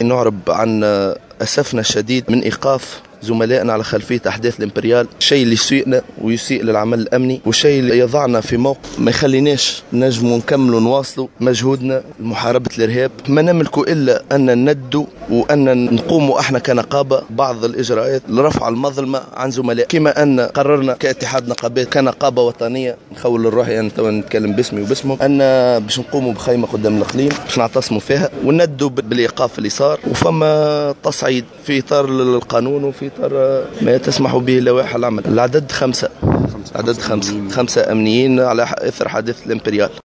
نعرب عن أسفنا الشديد من إيقاف زملائنا على خلفية أحداث الإمبريال، الشيء اللي يسيئنا ويسيء للعمل الأمني، والشيء اللي يضعنا في موقف ما يخليناش نجموا نكملوا نواصلوا مجهودنا لمحاربة الإرهاب. ما نملك إلا أن ندوا وأن نقوموا احنا كنقابة بعض الإجراءات لرفع المظلمة عن زملاء، كما أن قررنا كاتحاد نقابات كنقابة وطنية نخول الروح، يعني توا نتكلم باسمي وباسمهم، أن باش نقوموا بخيمة قدام الإقليم باش نعتصموا فيها وندوا بالإيقاف اللي صار، وفما تصعيد في إطار القانون وفي إطار ما تسمح به لوائح العمل. العدد 5، عدد 5 أمنيين على إثر حادث الإمبريال.